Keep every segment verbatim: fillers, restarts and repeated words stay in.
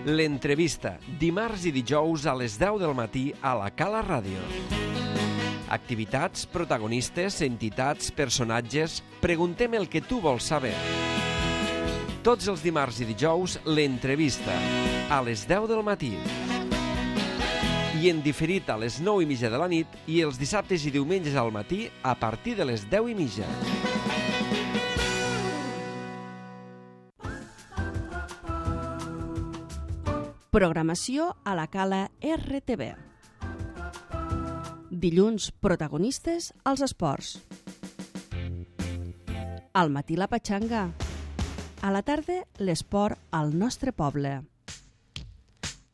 L'entrevista, dimarts i dijous a les deu del matí a la Cala Ràdio. Activitats, protagonistes, entitats, personatges... Preguntem el que tu vols saber. Tots els dimarts i dijous, l'entrevista, a les deu del matí. I en diferit a les nou i mitja de la nit i els dissabtes i diumenges al matí a partir de les deu i mitja. Programació a la Cala R T V. Dilluns, protagonistes als esports. Al matí la patxanga. A la tarda, l'esport al nostre poble.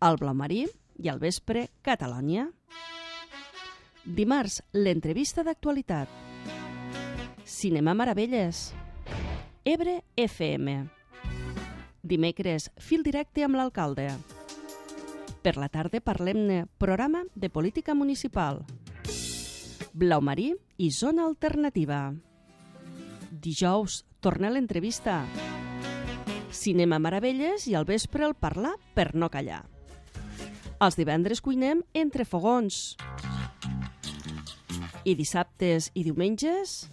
Al blau marí i al vespre, Catalònia. Dimarts, l'entrevista d'actualitat. Cinema Meravelles. Ebre F M. Dimecres, fil directe amb l'alcalde. Per la tarda parlem-ne programa de política municipal. Blau marí i zona alternativa. Dijous, torna l'entrevista. Cinema Meravelles i al vespre el parlar per no callar. Els divendres cuinem entre fogons. I dissabtes i diumenges...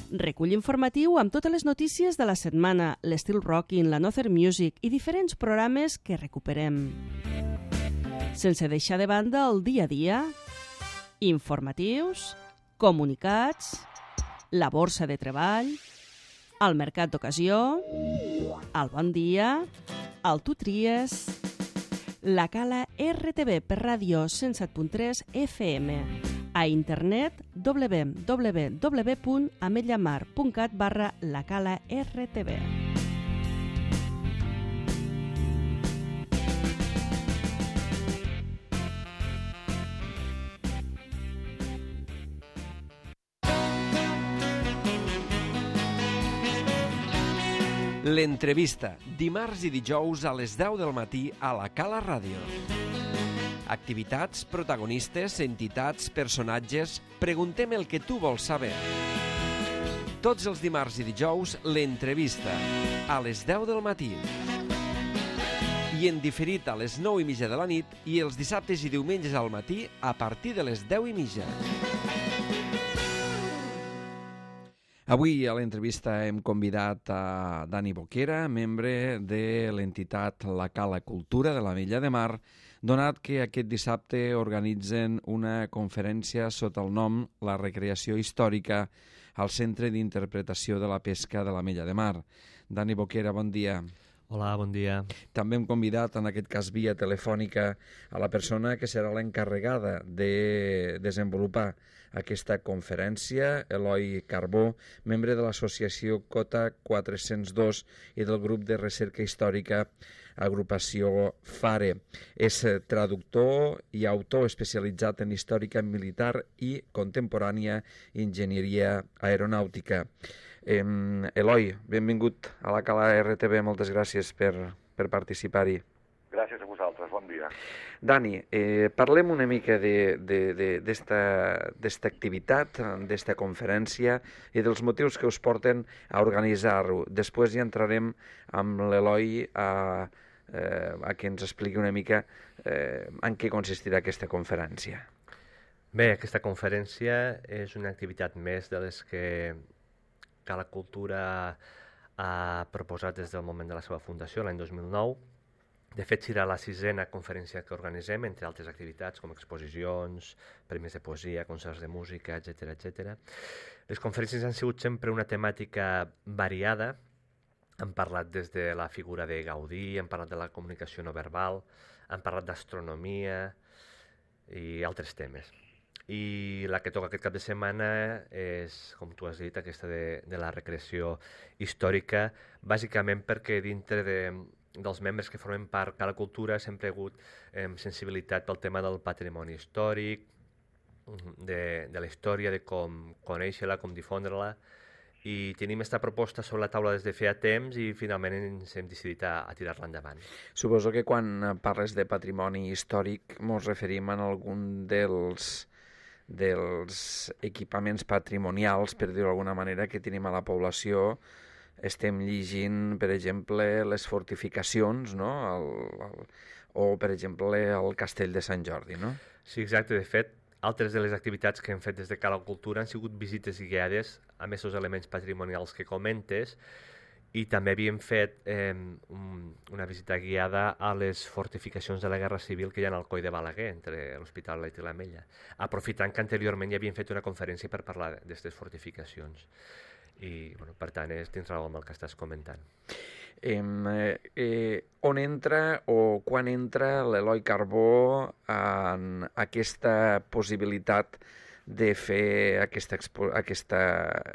Recull informatiu amb totes les notícies de la setmana, l'Estil Rocking, la Nother Music i diferents programes que recuperem. Sense deixar de banda el dia a dia, informatius, comunicats, la borsa de treball, el mercat d'ocasió, el bon dia, el tu tries, la Cala R T V per ràdio cent set punt tres F M. A internet w w w punt ametlllamar punt cat barra la Cala R T V. L'entrevista, dimarts i dijous a les deu del matí a la Cala Ràdio. Activitats, protagonistes, entitats, personatges... Preguntem el que tu vols saber. Tots els dimarts i dijous, l'entrevista, a les deu del matí. I en diferit a les nou i mitja de la nit i els dissabtes i diumenges al matí a partir de les deu i mitja. Avui a l'entrevista hem convidat a Dani Boquera, membre de l'entitat La Cala Cultura de l'Ametlla de Mar, donat que aquest dissabte organitzen una conferència sota el nom La Recreació Històrica al Centre d'Interpretació de la Pesca de l'Ametlla de Mar. Dani Boquera, bon dia. Hola, bon dia. També hem convidat, en aquest cas via telefònica, a la persona que serà l'encarregada de desenvolupar aquesta conferència, Eloi Carbó, membre de l'associació Cota quatre-cents dos i del grup de recerca històrica Agrupació FARE. És traductor i autor especialitzat en històrica militar i contemporània enginyeria aeronàutica. Eh, Eloi, benvingut a la Cala R T V, moltes gràcies per, per participar-hi. Gràcies a vosaltres, bon dia. Dani, eh, parlem una mica d'esta activitat, d'esta conferència i dels motius que us porten a organitzar-ho. Després ja entrarem amb l'Eloi a, eh, a que ens expliqui una mica eh, en què consistirà aquesta conferència. Bé, aquesta conferència és una activitat més de les que Cala Cultura ha proposat des del moment de la seva fundació, l'any dos mil nou. De fet, serà la sisena conferència que organitzem, entre altres activitats com exposicions, premis de poesia, concerts de música, etcètera, etcètera. Les conferències han sigut sempre una temàtica variada. Hem parlat des de la figura de Gaudí, hem parlat de la comunicació no verbal, hem parlat d'astronomia i altres temes. I la que toca aquest cap de setmana és, com tu has dit, aquesta de, de la recreació històrica, bàsicament perquè dintre de, dels membres que formen part de la cultura sempre ha hagut eh, sensibilitat pel tema del patrimoni històric, de, de la història, de com conèixer-la, com difondre-la, i tenim aquesta proposta sobre la taula des de feia temps i finalment ens hem decidit a, a tirar-la endavant. Suposo que quan parles de patrimoni històric ens referim a algun dels dels equipaments patrimonials, per dir-ho d'alguna manera, que tenim a la població estem llegint, per exemple, les fortificacions, no? El, el, o, per exemple, el castell de Sant Jordi, no? Sí, exacte. De fet, altres de les activitats que hem fet des de Cala Cultura han sigut visites guiades a aquests elements patrimonials que comentes, i també havíem fet eh, un, una visita guiada a les fortificacions de la Guerra Civil que hi ha al Coll de Balaguer, entre l'Hospitalet i l'Ametlla, aprofitant que anteriorment hi havíem fet una conferència per parlar d'aquestes fortificacions. I, bueno, per tant, és dins raó amb el que estàs comentant. Eh, eh, on entra o quan entra l'Eloi Carbó en aquesta possibilitat de fer aquesta, expo aquesta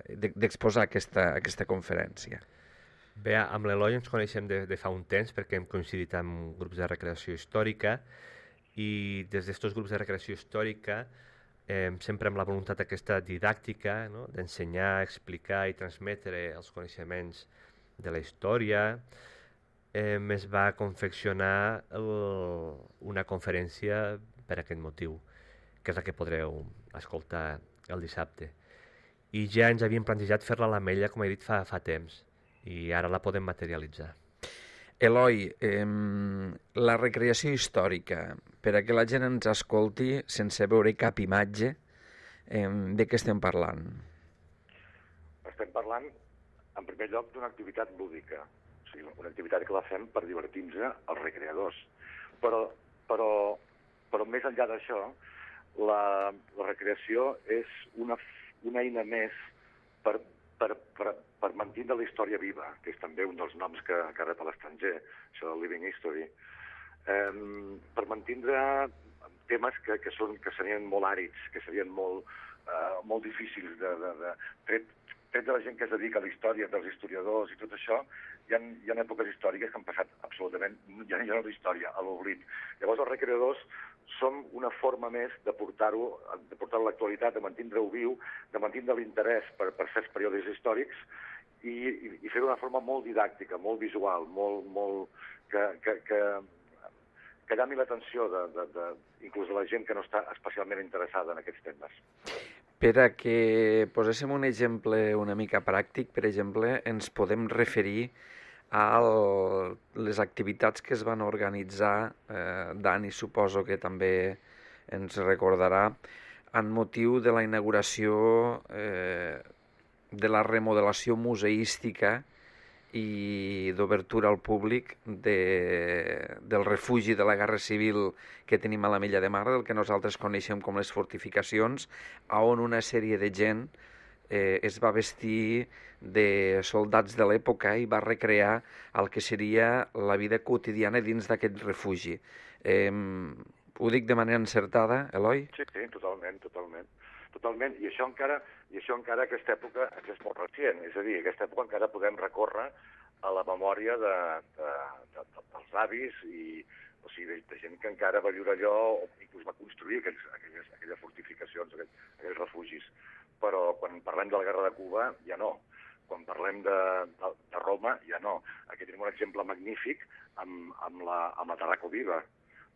d'exposar aquesta, aquesta conferència? Bé, amb l'Eloi ens coneixem de, de fa un temps perquè hem coincidit amb grups de recreació històrica, i des d'aquests grups de recreació històrica eh, sempre amb la voluntat aquesta didàctica, no? D'ensenyar, explicar i transmetre els coneixements de la història, eh, es va confeccionar el, una conferència per aquest motiu, que és la que podreu escoltar el dissabte. I ja ens havíem plantejat fer-la a l'Ametlla, com he dit, fa, fa temps, i ara la podem materialitzar. Eloi, eh, la recreació històrica, per a que la gent ens escolti sense veure cap imatge, eh, de què estem parlant? Estem parlant, en primer lloc, d'una activitat lúdica, o sigui, una activitat que la fem per divertir-nos els recreadors. Però, però, però més enllà d'això, la, la recreació és una, una eina més per, per, per, per mantenir la història viva, que és també un dels noms que, que rep a l'estranger, això del Living History, eh, per mantenir temes que, que, són, que serien molt àrids, que serien molt, eh, molt difícils de, de, de tret, tret de la gent que es dedica a la història, dels historiadors i tot això. Hi ha, hi ha èpoques històriques que han passat absolutament, ja no hi ha història, a l'oblit. Llavors els recreadors som una forma més de portar-ho de portar-ho a l'actualitat, de mantenir-ho viu, de mantenir l'interès per, per certs períodes històrics i, i, i fer-ho d'una forma molt didàctica, molt visual, molt, molt, que, que, que, que llami l'atenció de, de, de, inclús de la gent que no està especialment interessada en aquests temes. Per a que poséssim un exemple una mica pràctic, per exemple, ens podem referir a el, les activitats que es van organitzar, eh, Dani suposo que també ens recordarà, en motiu de la inauguració eh, de la remodelació museística i d'obertura al públic de, del refugi de la Guerra Civil que tenim a l'Ametlla de Mar, del que nosaltres coneixem com les fortificacions, on una sèrie de gent eh, es va vestir de soldats de l'època i va recrear el que seria la vida quotidiana dins d'aquest refugi. Eh, ho dic de manera encertada, Eloi? Sí, sí, totalment, totalment. Totalment, i això encara, i això encara aquesta època és molt recient, és a dir, aquesta època encara podem recórrer a la memòria de, de, de, de, dels avis i, o sigui, de, de gent que encara va viure allò o inclús va construir aquells, aquelles, aquelles fortificacions, aquells, aquells refugis. Però quan parlem de la Guerra de Cuba ja no, quan parlem de, de, de Roma ja no. Aquí tenim un exemple magnífic amb, amb, la, amb la Tarraco Viva.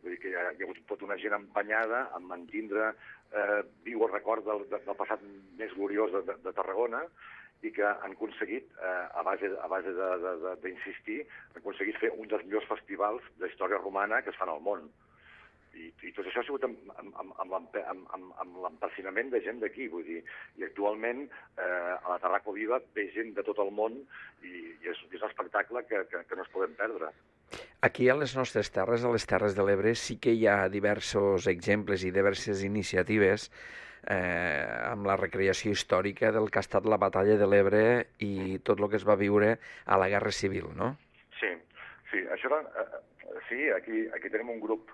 Vull dir que hi ha, hi ha hagut tota una gent empenyada en mantindre eh, viu el record del, del passat més gloriós de, de, de Tarragona i que han aconseguit, eh, a base, a base d'insistir, han aconseguit fer un dels millors festivals de història romana que es fan al món. I, i tot això ha sigut amb, amb, amb, amb, amb, amb l'empecinament de gent d'aquí, vull dir, i actualment eh, a la Tarraco Viva ve gent de tot el món i, i és, és un espectacle que, que, que no es podem perdre. Aquí a les nostres terres, a les Terres de l'Ebre, sí que hi ha diversos exemples i diverses iniciatives eh, amb la recreació històrica del que ha estat la batalla de l'Ebre i tot el que es va viure a la Guerra Civil, no? Sí, sí, això era, eh, sí, aquí, aquí tenim un grup,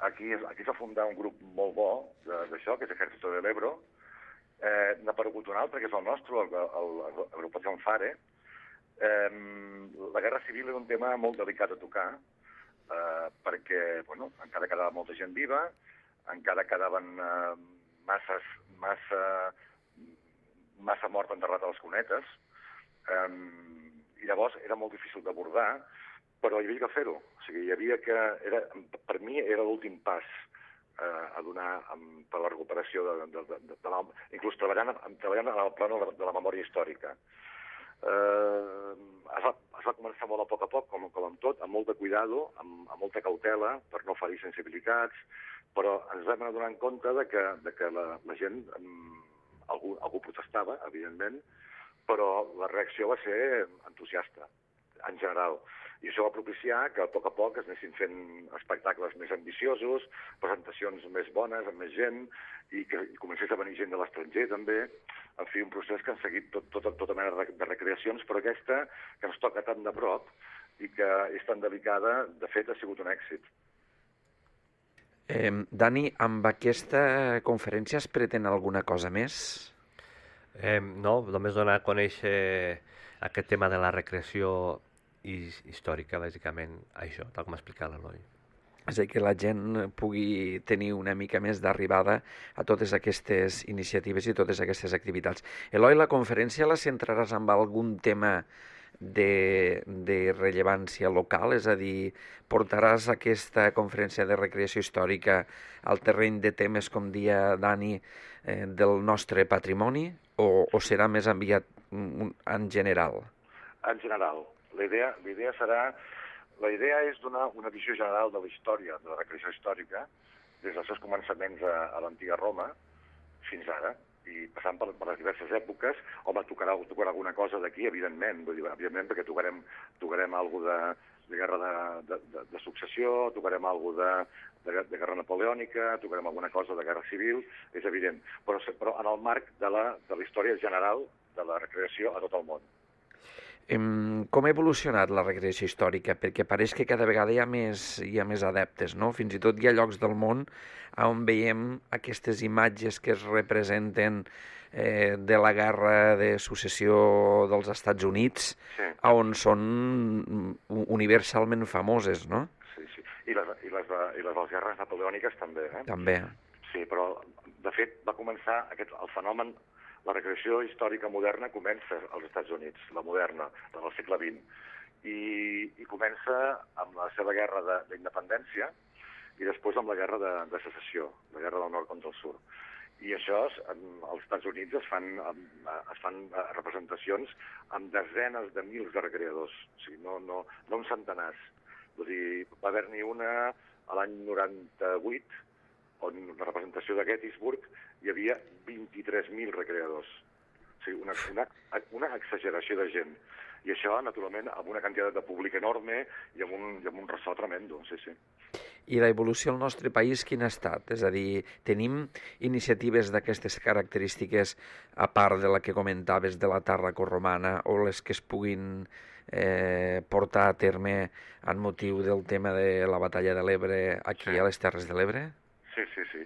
aquí, aquí s'ha fundat un grup molt bo d'això, que és Ejército de l'Ebro, eh, n'ha aparegut un altre, que és el nostre, l'Agrupació Fare. Eh, la Guerra Civil és un tema molt delicat a tocar, eh, perquè, bueno, encara quedava molta gent viva, encara quedaven eh, masses, massa, massa mort enterrat a les cunetes, eh, i llavors era molt difícil d'abordar, però hi havia que fer-ho. O sigui, hi havia que... Era, per mi era l'últim pas eh, a donar amb, per la recuperació, de, de, de, de, de la, inclús treballant, treballant en el plano de la memòria històrica. Eh, es, va, es va començar molt a poc a poc, com, com amb tot, amb molt de cuidado, amb, amb molta cautela, per no ferir sensibilitats, però ens vam anar donant compte de que, de que la, la gent, algú, algú protestava, evidentment, però la reacció va ser entusiasta, en general. I això va propiciar que a poc a poc es anessin fent espectacles més ambiciosos, presentacions més bones, amb més gent, i que i comencés a venir gent de l'estranger també. En fi, un procés que han seguit tot, tot, tota mena de recreacions, però aquesta, que ens toca tan de prop i que és tan delicada, de fet ha sigut un èxit. Eh, Dani, amb aquesta conferència es pretén alguna cosa més? Eh, no, només donar a conèixer aquest tema de la recreació històrica, bàsicament, això, tal com ha explicat l'Eloi. És a dir, que la gent pugui tenir una mica més d'arribada a totes aquestes iniciatives i totes aquestes activitats. Eloi, la conferència la centraràs amb algun tema de, de rellevància local? És a dir, portaràs aquesta conferència de recreació històrica al terreny de temes, com dia Dani, eh, del nostre patrimoni, o, o serà més enviat en general? En general. La idea, la idea serà... La idea és donar una visió general de la història, de la recreació històrica, des dels seus començaments a, a l'antiga Roma fins ara, i passant per, per les diverses èpoques. Home, tocarà, tocarà alguna cosa d'aquí, evidentment, vull dir, evidentment, perquè tocarem, tocarem alguna de, de guerra de, de, de, de successió, tocarem alguna de, de, de guerra napoleònica, tocarem alguna cosa de guerra civil, és evident, però, però en el marc de la, de la història general de la recreació a tot el món. Com ha evolucionat la recreació històrica? Perquè pareix que cada vegada hi ha més, hi ha més adeptes, no? Fins i tot hi ha llocs del món on veiem aquestes imatges que es representen eh, de la guerra de successió dels Estats Units, sí, on són universalment famoses, no? Sí, sí. I les, i les, i les de les guerres napoleòniques també, eh? També. Sí, però de fet va començar aquest, el fenomen. La recreació històrica moderna comença als Estats Units, la moderna, del segle vint, i, i comença amb la seva guerra d'independència i després amb la guerra de, de secessió, la guerra del nord contra el sud. I això, als Estats Units es fan, es fan representacions amb desenes de mils de recreadors, o sigui, no, no, no amb centenars. Vull dir, va haver-n'hi una a l'any noranta-vuit, on la representació de Gettysburg hi havia vint-i-tres mil recreadors. O sigui, una, una, una exageració de gent. I això, naturalment, amb una quantitat de públic enorme i amb un, i amb un ressò tremendo, sí, sí. I la evolució al nostre país quin ha estat? És a dir, tenim iniciatives d'aquestes característiques, a part de la que comentaves de la Tàrraco-romana, o les que es puguin eh, portar a terme en motiu del tema de la batalla de l'Ebre aquí sí. a les Terres de l'Ebre? Sí, sí, sí.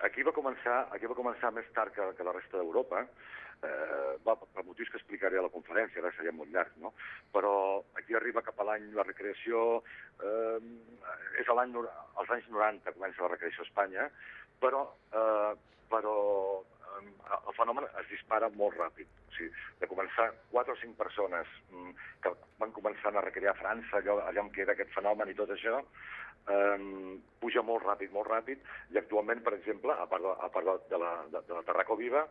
Aquí va començar, aquí va començar més tard que, que la resta d'Europa, eh, va, per motius que explicaré a la conferència, ara seria molt llarg, no? Però aquí arriba cap a l'any la recreació, eh, és a l'any, als anys noranta comença la recreació a Espanya, però, eh, però eh, el fenomen es dispara molt ràpid. O sigui, de començar quatre o cinc persones que van començant a recrear a França, allò, allà on queda aquest fenomen i tot això, Um, puja molt ràpid, molt ràpid, i actualment, per exemple, a part de, a part de, la, de, de la Tàrraco Viva,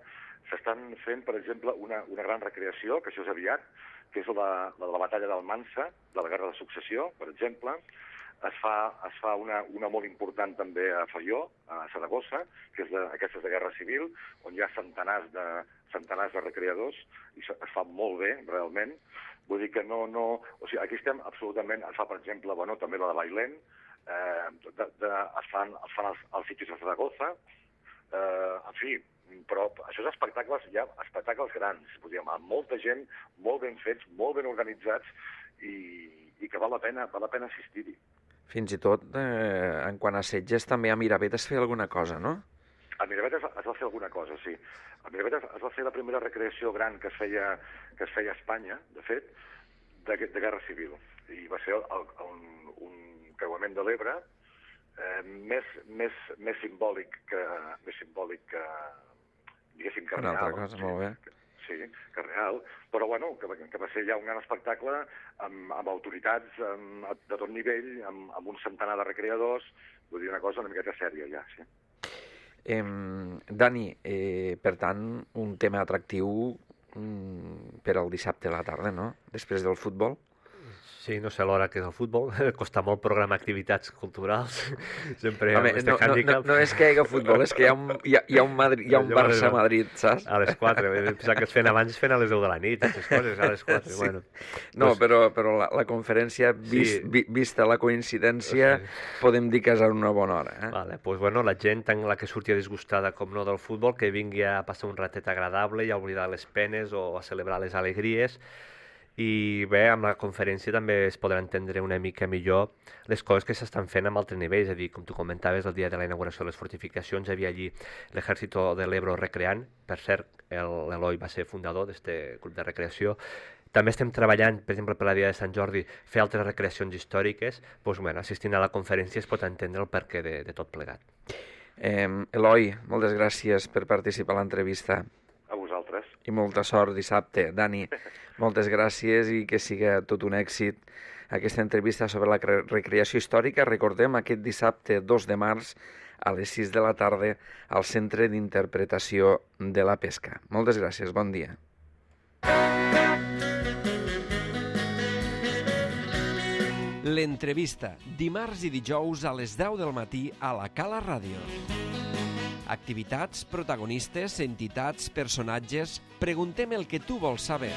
s'estan fent, per exemple, una, una gran recreació, que això és aviat, que és la, la de la batalla d'Almansa, de la guerra de successió, per exemple. Es fa, es fa una, una molt important també a Faió, a Saragossa, que és de, aquesta és de guerra civil, on hi ha centenars de, centenars de recreadors, i es fa molt bé, realment. Vull dir que no... no o sigui, aquí estem absolutament... Es fa, per exemple, bueno, també la de Bailén, Eh, de, de, es fan, es fan els, els sitios de Zaragoza, eh, en fi, però això és espectacles, ja, espectacles grans, dir, amb molta gent, molt ben fets, molt ben organitzats, i, i que val la pena, val la pena assistir-hi. Fins i tot, eh, en quant a setges, també a Miravet es feia alguna cosa, no? A Miravet es, es va fer alguna cosa, sí. A Miravet es, es va fer la primera recreació gran que es feia, que es feia a Espanya, de fet, de, de guerra civil. I va ser el, el, un creuament de l'Ebre, eh, més, més, més simbòlic que, més simbòlic que, diguéssim, que real. Una altra cosa, sí, molt bé. Sí, que real, però bueno, que, que va ser ja un gran espectacle amb, amb autoritats amb, de tot nivell, amb, amb un centenar de recreadors, vull dir una cosa una miqueta sèria ja, sí. Eh, Dani, eh, per tant, un tema atractiu mm, per al dissabte a la tarda, no? Després del futbol. Sí, no sé l'hora que és el futbol, costa molt programar activitats culturals, sempre Home, este no, no, handicap. no, no és que hi hagi futbol, és que hi ha un, hi ha, hi ha un, Madrid, hi ha un Barça-Madrid, saps? A les quatre, pensava que es feien abans, es feien a les deu de la nit, aquestes coses, a les quatre, sí. Bueno. No, Pues, però, però la, la conferència, vist, sí. vi, vista la coincidència, sí. podem dir que és a una bona hora. Eh? Vale, pues bueno, la gent, tant la que surti disgustada com no del futbol, que vingui a passar un ratet agradable i a oblidar les penes o a celebrar les alegries. I bé, amb la conferència també es podrà entendre una mica millor les coses que s'estan fent amb altres nivells, és a dir, com tu comentaves, el dia de la inauguració de les fortificacions hi havia allí l'Ejército de l'Ebro recreant, per cert, l'Eloi va ser fundador d'aquest grup de recreació. També estem treballant, per exemple, per la Dia de Sant Jordi, fer altres recreacions històriques, doncs, bueno, assistint a la conferència es pot entendre el perquè de, de tot plegat. Eh, Eloi, moltes gràcies per participar a l'entrevista. A vosaltres. I molta sort dissabte. Dani, moltes gràcies i que siga tot un èxit aquesta entrevista sobre la recreació històrica. Recordem, aquest dissabte dos de març a les sis de la tarda al Centre d'Interpretació de la Pesca. Moltes gràcies, bon dia. L'entrevista, dimarts i dijous a les deu del matí a la Cala Ràdio. Activitats, protagonistes, entitats, personatges... Preguntem el que tu vols saber.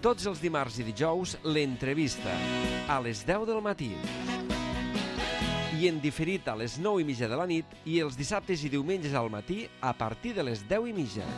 Tots els dimarts i dijous, l'entrevista, a les deu del matí. I en diferit a les nou i mitja de la nit i els dissabtes i diumenges al matí a partir de les deu i mitja.